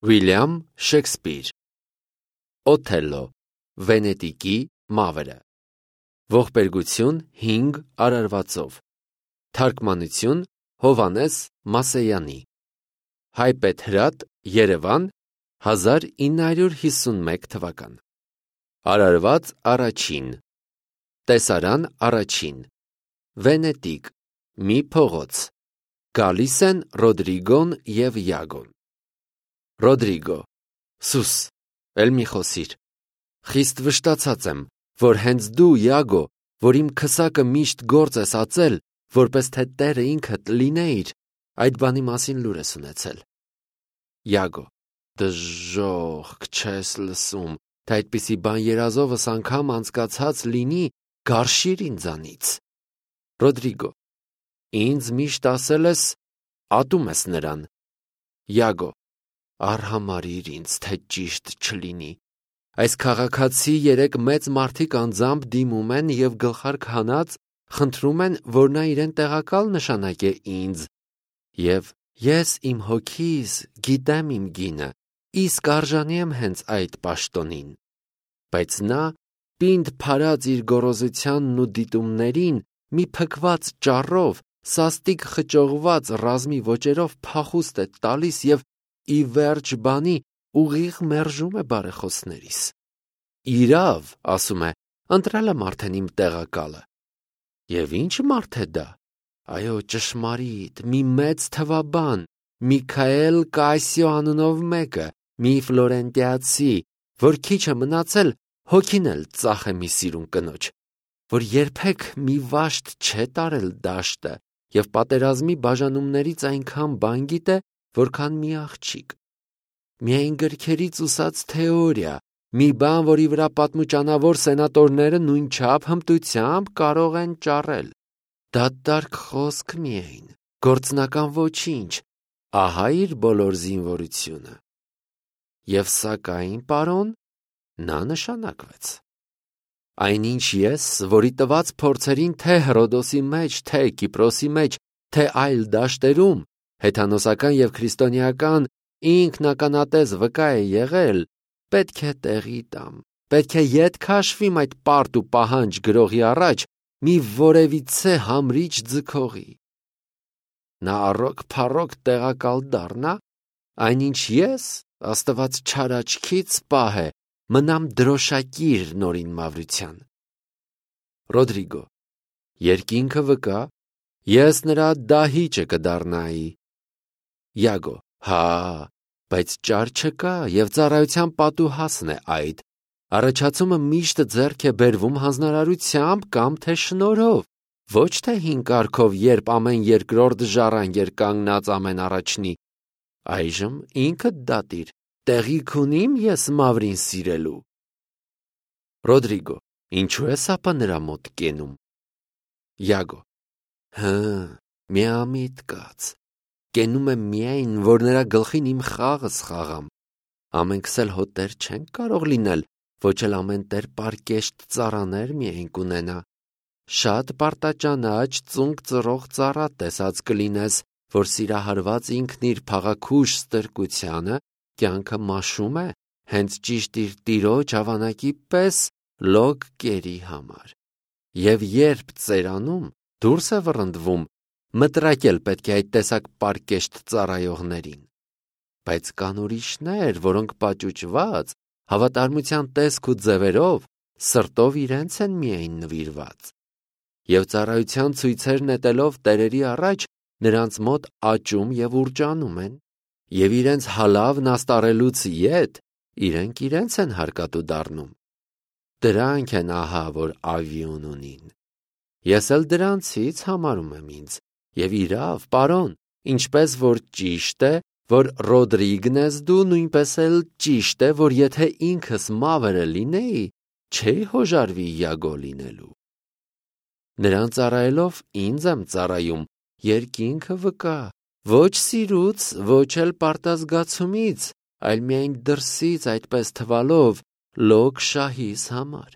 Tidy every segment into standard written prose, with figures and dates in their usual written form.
Վիլյամ Շեքսպիր Օթելլո Վենետիկի մավրը Ողբերգություն 5 արարվածով Թարգմանություն Հովհաննես Մասեյանի Հայպեթրատ Երևան 1951 թվական Արարված առաջին Տեսարան առաջին Վենետիկ մի փողոց Գալիս են Ռոդրիգոն և Յագոն Ռոդրիգո Սուս էլ մի խոսիր Խիստ վշտացած եմ որ հենց դու Յագո որ իմ քսակը միշտ գործ ես ածել որպես թե Տերը ինքդ լինեիր այդ բանի մասին լուր ես ունեցել Յագո դժոխք չես լսում թե այդպիսի բան երազովս անգամ անցկացած լինի գարշիր ինձանից Ռոդրիգո ինձ միշտ ասել ես ատում ես նրան Յագո արհամարհիր ինձ թե ճիշտ չլինի այս քաղաքացի երեք մեծ մարդիկ անձամբ դիմում են և գլխարկ հանած խնդրում են որ նա իրեն տեղակալ նշանակե ինձ և ես իմ հոգիս գիտեմ իմ գինը իսկ արժանի եմ հենց այդ պաշտոնին բայց նա պինդ փարած իր գոռոզությանն ու դիտումներին մի փքված ճառով սաստիկ խճողված ռազմի ոճերով փախուստ է տալիս և ի վերջ բանի ուղիղ մերժում է բարեխոսներիս իրավ ասում է ընտրել եմ արդեն իմ տեղակալը և ինչ մարդ է դա այո ճշմարիտ մի մեծ թվաբան Միքայել Կասիո անունով մեկը մի ֆլորենտիացի որ քիչ է մնացել հոգին էլ ծախե մի սիրուն կնոջ որ երբեք մի վաշտ չէ տարել դաշտը և պատերազմի բաժանումներից այնքան բան գիտե որքան մի աղջիկ միայն գրքերից ուսած թեորիա մի բան որի վրա պատմուճանավոր սենատորները նույնչափ հմտությամբ կարող են ճառել դատարկ խոսք միայն գործնական ոչինչ ահա իր բոլոր զինվորությունը և սակայն պարոն նա նշանակվեց այնինչ ես որի տված փորձերին թե Հռոդոսի մեջ թե Կիպրոսի մեջ թե այլ դաշտերում հեթանոսական և քրիստոնեական ինքնականատես վկա է եղել պետք է տեղի տամ պետք է ետ քաշվիմ այդ պարտ ու պահանջ գրողի առաջ մի որևիցե համրիչ ձգողի նա առոք-փառոք տեղակալ դառնա այնինչ ես Աստված չար աչքից պահե մնամ դրոշակիր նորին մավրության Ռոդրիգո երկինքը վկա ես նրա դահիճը կդառնայի Յագո հա բայց ճար չկա և ծառայության պատուհասն է այդ առաջացումը միշտ ձեռք է բերվում հանձնարարությամբ կամ թե շնորհով ոչ թե հին կարգով երբ ամեն երկրորդ ժառանգ էր կանգնած ամեն առաջնի այժմ ինքդ դատիր տեղիք ունի՞մ ես մավրին սիրելու Ռոդրիգո ինչու ես ապա նրա մոտ կենում Յագո միամիտ կաց կենում եմ միայն որ նրա գլխին իմ խաղս խաղամ ամենքս էլ հո տեր չենք կարող լինել ոչ էլ ամեն տեր պարկեշտ ծառաներ միայն կունենա շատ պարտաճանաչ ծունկ ծռող ծառա տեսած կլինես որ սիրահարված ինքն իր փաղաքուշ ստրկությանը կյանքը մաշում է հենց ճիշտ իր տիրոջ հավանակի պես լոկ կերի համար և երբ ծերանում դուրս է վռնդվում մտրակել պետք է այդ տեսակ պարկեշտ ծառայողներին բայց կան ուրիշներ որոնք պաճուճված հավատարմության տեսք ու ձևերով սրտով իրենց են միայն նվիրված և ծառայության ցույցեր նետելով տերերի առաջ նրանց մոտ աճում և ուռճանում են և իրենց հալավն աստառելուց ետ իրենք իրենց են հարկատու դառնում դրանք են ահա որ ավիոն ունին ես էլ դրանցից համարում եմ ինձ և իրավ պարոն ինչպես որ ճիշտ է որ Ռոդրիգն ես դու նույնպես էլ ճիշտ է որ եթե ինքս մավրը լինեի չէի հոժարվի Յագո լինելու նրան ծառայելով ինձ եմ ծառայում երկինքը վկա ոչ սիրուց ոչ էլ պարտազգացումից այլ միայն դրսից այդպես թվալով լոկ շահիս համար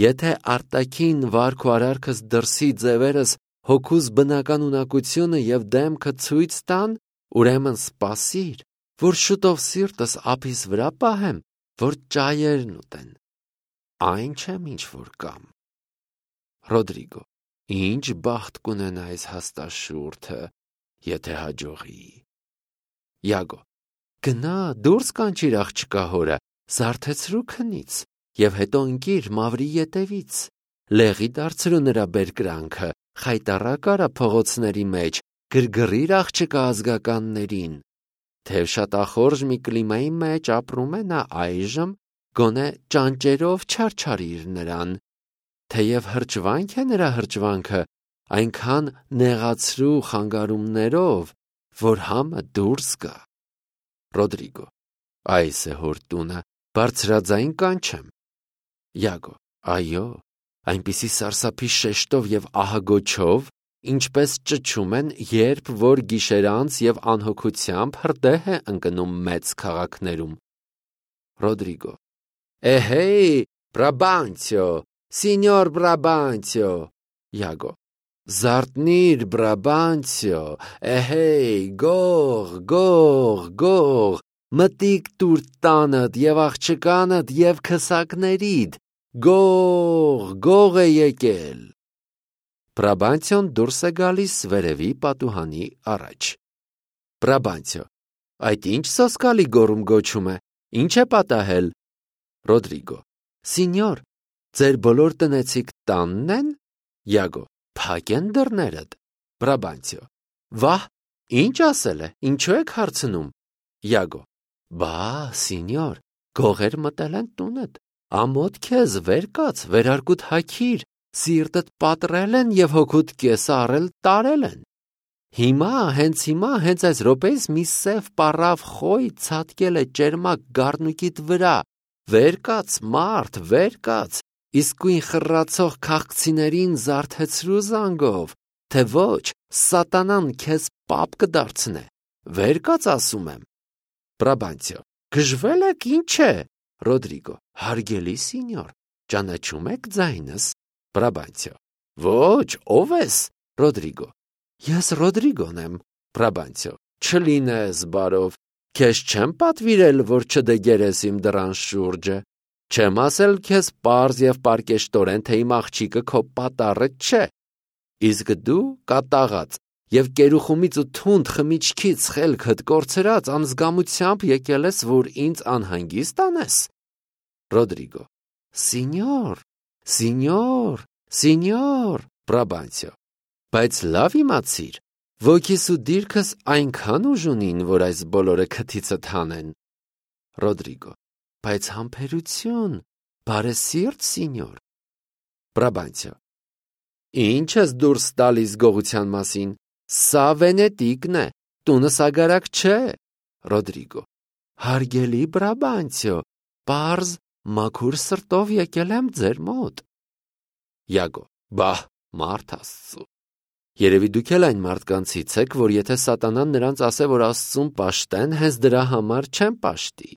եթե արտաքին վարք ու արարքս դրսի ձևերս հոգուս բնական ունակությունը և դեմքը ցույց տան ուրեմն սպասիր որ շուտով սիրտս ափիս վրա պահեմ, որ ճայերն ուտեն։ Այն չեմ ինչ որ կամ։ Ռոդրիգո. Ինչ բախտ կունենա այս հաստաշուրթը, եթե հաջողի։ Յագո. Գնա, դուրս կանչիր աղջկա հորը, զարթեցրու քնից, եւ հետո ընկիր մավրի ետևից։ Լեղի դարձրու նրա բերկրանքը, խայտառակ արա փողոցների մեջ, գրգռիր աղջկա ազգականներին։ Թեև շատ ախորժ մի կլիմայի մեջ ապրում է նա այժմ, գոնե ճանճերով չարչարիր նրան։ Թեև հրճվանք է նրա հրճվանքը, այնքան նեղացրու խանգարումներով, որ համը դուրս գա։ Ռոդրիգո. Այս է հոր տունը, բարձրաձայն կանչեմ։ Յագո. Այո, այնպիսի սարսափի շեշտով եւ ահագոչով, ինչպես ճչում են, երբ որ գիշերանց եւ անհոգությամբ հրդեհ է ընկնում մեծ քաղաքներում։ Ռոդրիգո. Էհեյ, Բրաբանցիո, Սինյոր Բրաբանցիո։ Յագո. Զարտնիր, Բրաբանցիո, էհեյ, գող, մտիկ տուր տանդ եւ աղջկանդ եւ քսակներիդ, գող է եկել։ Բրաբանցիոն դուրս է գալիս վերևի պատուհանի առաջ։ Բրաբանցիո. Այդ ինչ սոսկալի գոռում գոչում է, ինչ է պատահել։ Ռոդրիգո. Սինյոր, ձեր բոլոր տնեցիք տանն են։ Յագո. Փակ են դռներդ։ Բրաբանցիո. Վահ, ինչ ասել է, ինչու եք հարցնում։ Յագո. Բա, սինյոր, գողեր մտել են տունդ, ամոթ քեզ, վեր կաց, վերարկուտ հագիր, սիրտդ պատռել են եւ հոգուտ կեսը առել տարել են։ Հիմա, հենց այս րոպեից մի սև պառավ խոյ ցատկել է ճերմակ գառնուկիդ վրա, վեր կաց, մարդ, վեր կաց, իսկույն խռացող քաղցիներին զարթեցրու զանգով, թե ոչ, սատանան քեզ պապ կդարձնե, վեր կաց ասում եմ։ Բրաբանցիո. Գժվել եք, ինչ է։ Ռոդրիգո. Հարգելի սինյոր, ճանաչում եք ձայնս։ Բրաբանցիո. Ոչ, ով ես։ Ռոդրիգո. Ես Ռոդրիգոն եմ։ Բրաբանցիո. Չլինես բարով, քեզ չեմ պատվիրել, որ չդեգերես իմ դռան շուրջը, չեմ ասել քեզ պարզ եւ պարկեշտորեն, թե իմ աղջիկը քո պատառը չէ։ Իսկ դու կատաղած եւ կերուխումից ու թունդ խմիչքից խելքդ կորցրած անզգամությամբ եկել ես, որ ինձ անհանգիստ անես։ Ռոդրիգո. Սինյոր, Բրաբանցիո. Բայց լավ իմացիր, ոգիս ու դիրքս այնքան ուժ ունին, որ այս բոլորը քթիցդ հանեն։ Ռոդրիգո. Բայց համբերություն, բարեսիրտ սինյոր։ Բրաբանցիո. Ինչ ես դուրս տալիս գողության մասին, սա Վենետիկն է, տունը սագարակ չէ։ Ռոդրիգո. Հարգելի Բրաբանցիո, պարզ մաքուր սրտով եկել եմ ձեր մոտ։ Յագո. Բահ, մարդ Աստծո։ Երևի դուք էլ այն մարդկանցից եք, որ եթե սատանան նրանց ասե, որ Աստծուն պաշտեն, հենց դրա համար չեն պաշտի։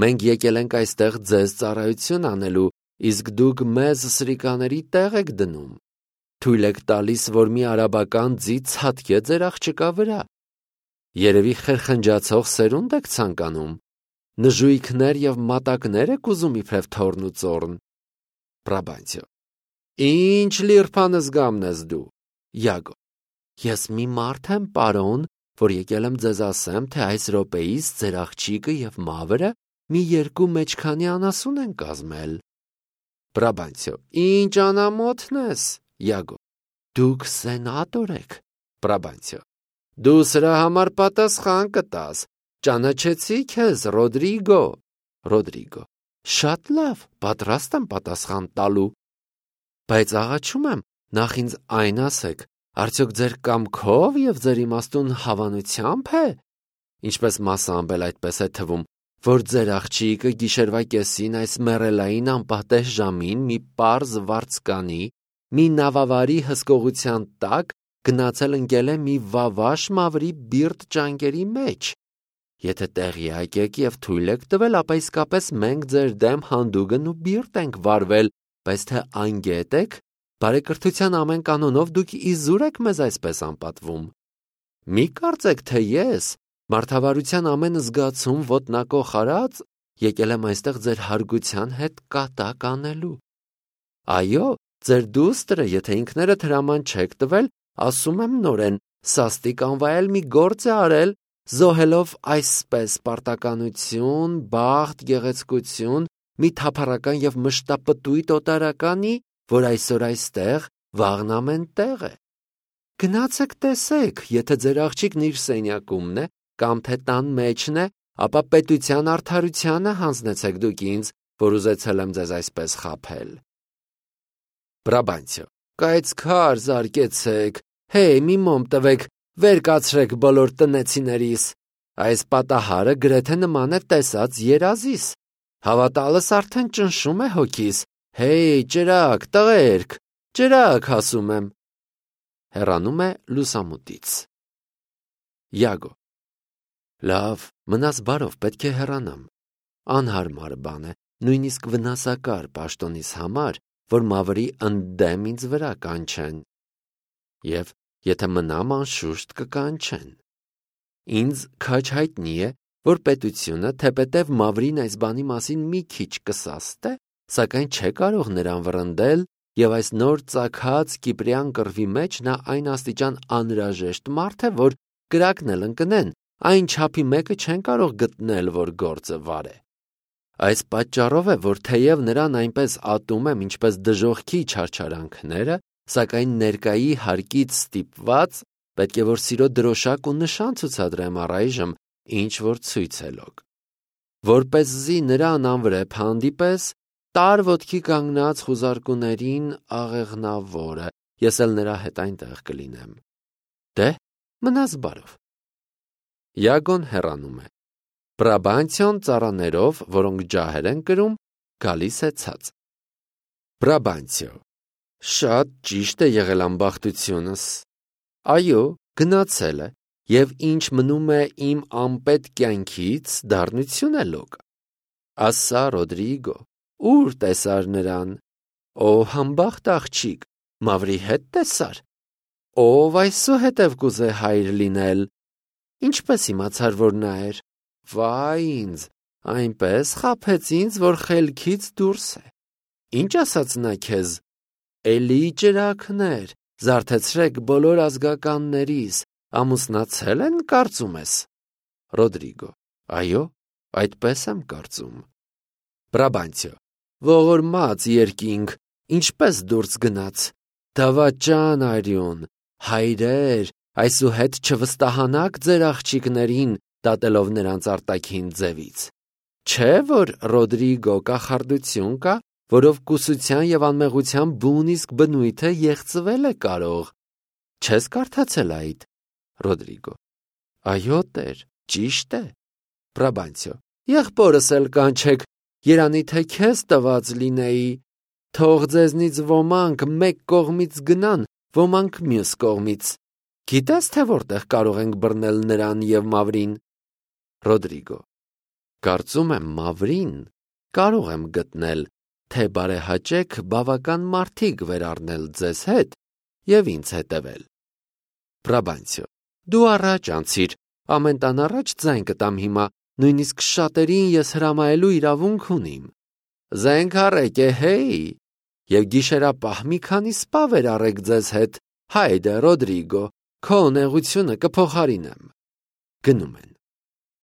Մենք եկել ենք այստեղ ձեզ ծառայություն անելու, իսկ դուք մեզ սրիկաների տեղ եք դնում։ Թույլ եք տալիս, որ մի արաբական ձի ցատկե ձեր աղջկա վրա։ Երևի խրխնջացող սերունդ եք ցանկանում։ Նժույգներ եւ մատակներ եք ուզում իբրև թորն ու ծորն։ Բրաբանցիո. Ինչ լիրփան զգամն ես դու։ Յագո. Ես մի մարդ եմ, պարոն, որ եկել եմ ձեզ ասեմ, թե այս րոպեից ձեր աղջիկը եւ մավրը մի երկու մեջքանի անասուն են կազմել։ Բրաբանցիո. Ինչ անամոթն ես։ Յագո. Դուք սենատոր եք։ Բրաբանցիո. Դու սրա համար պատասխան կտաս։ Ճանաչեցի քեզ, Ռոդրիգո։ Ռոդրիգո. Շատ լավ, պատրաստ եմ պատասխան տալու։ Բայց աղաչում եմ, նախ ինձ այն ասեք, արդյոք ձեր կամքով եւ ձեր իմաստուն հավանությամբ է, ինչպես մասամբ էլ այդպես է թվում, որ ձեր աղջիկը գիշերվա կեսին այս մեռելային անպատեհ ժամին մի պարզ վարձկանի, մի նավավարի հսկողության տակ գնացել ընկել է մի վավաշ մավրի բիրտ ճանկերի մեջ։ Եթե տեղյակ եք եւ թույլ եք տվել, ապա իսկապես մենք ձեր դեմ հանդուգն ու բիրտ ենք վարվել, բայց թե անգետ եք, բարեկրթության ամեն կանոնով դուք իզուր եք մեզ այսպես անպատվում։ Մի կարծեք, թե ես, Մարդավարության ամեն զգացում ոտնակոխ արած, եկել եմ այստեղ ձեր հարգության հետ կատակ անելու։ Այո, ձեր դուստրը, եթե ինքներդ հրաման չեք տվել, ասում եմ նորեն, սաստիկ անվայել մի գործ է արել, զոհելով այսպես պարտականություն, բախտ, գեղեցկություն, մի թափառական և մշտապտույտ օտարականի, որ այսօր այստեղ, վաղն ամեն տեղ է։ Գնացեք տեսեք, եթե ձեր աղջիկն իր սենյակումն է, կամ թե տան մեջն է, ապա պետության արդարությանը հանձնեցեք դուք ինձ, որ ուզեցել եմ ձեզ այսպես խաբել։ Բրաբանցիո. Կայծ քար զարկեցեք, հեյ, մի մոմ տվեք, վեր կացրեք բոլոր տնեցիներիս։ Այս պատահարը գրեթե նման է տեսած երազիս։ Հավատալս արդեն ճնշում է հոգիս։ Հեյ, ջրակ, տղերք, ջրակ, ասում եմ։ Հեռանում է լուսամուտից։ Յագո. Լավ, մնաս բարով, պետք է հեռանամ։ Անհարմար բան է, նույնիսկ վնասակար պաշտոնիս համար, որ մավրի ընդդեմ ինձ վրա կանչեն։ Եվ եթե մնամ անշուշտ կկանչեն։ Ինձ քաջ հայտնի է, որ պետությունը թեպետև մավրին այս բանի մասին մի քիչ կսաստե, սակայն չէ կարող նրան վռնդել, եւ այս նոր ծագած կիպրյան կռվի մեջ նա այն աստիճան անհրաժեշտ մարդ է, որ կրակն էլ ընկնեն, այն չափի մեկը չեն կարող գտնել, որ գործը վարե։ Այս պատճառով է, որ թեև նրան այնպես ատում եմ, ինչպես դժոխքի չարչարանքները, սակայն ներկայի հարկից ստիպված պետք է որ սիրո դրոշակ ու նշան ցուցադրեմ առայժմ, ինչ որ ցույց է լոկ։ Որպեսզի նրան անվրեպ հանդիպես, տար ոտքի կանգնած խուզարկուներին աղեղնավորը, ես էլ նրա հետ այնտեղ կլինեմ։ Դե, մնաս բարով։ Յագոն հեռանում է։ Բրաբանցիոն ծառաներով, որոնք ջահեր են կրում, գալիս է ցած։ Բրաբանցիո. Շատ ճիշտ է եղել ամբախտությունս։ Այո, գնացել է, եւ ինչ մնում է իմ անպետ կյանքից, դառնություն է լոկ։ Ասա Ռոդրիգո, ուր տեսար նրան։ Ով համբախտ աղջիկ, մավրի հետ տեսար։ Ով այսուհետև կուզե հայր լինել։ Ինչպես իմացար, որ նա էր։ Վայ ինձ, այնպես խաբեց ինձ, որ խելքից դուրս է։ Ինչ ասաց նա քեզ։ Էլի ջրակներ, զարթեցրեք բոլոր ազգականներիս, ամուսնացել են, կարծում ես։ Ռոդրիգո. Այո, այդպես եմ կարծում։ Բրաբանցիո. Ողորմած երկինք, ինչպես դուրս գնաց։ Դավաճան արյուն, հայրեր, այսուհետ չվստահանաք ձեր աղջիկներին, դատելով նրանց արտաքին ձևից։ Չէ՞ որ Ռոդրիգո կախարդություն կա, որով կուսության եւ անմեղության բուն իսկ բնույթը եղծվել է կարող։ Չես կարդացել այդ։ Ռոդրիգո. Այո, տեր, ճիշտ է։ Բրաբանցիո. Եղբորս էլ կանչեք, երանի թե քեզ տված լինեի, թող ձեզնից ոմանք մեկ կողմից գնան, ոմանք մյուս կողմից։ Գիտես թե որտեղ կարող ենք բռնել նրան եւ մավրին։ Ռոդրիգո. Կարծում եմ մավրին կարող եմ գտնել, թե բարեհաճեք բավական մարդիկ վերառնել ձեզ հետ եւ ինձ հետևել։ Բրաբանցիո. Դու առաջ անցիր, ամեն տան առաջ ձայն կտամ հիմա, նույնիսկ շատերին ես հրամայելու իրավունք ունիմ։ Զենք առեք է, հեյ, եւ գիշերապահ մի քանի սպա վերառեք ձեզ հետ, հայդե Ռոդրիգո, քո նեղությունը կփոխարինեմ։ Գնում են։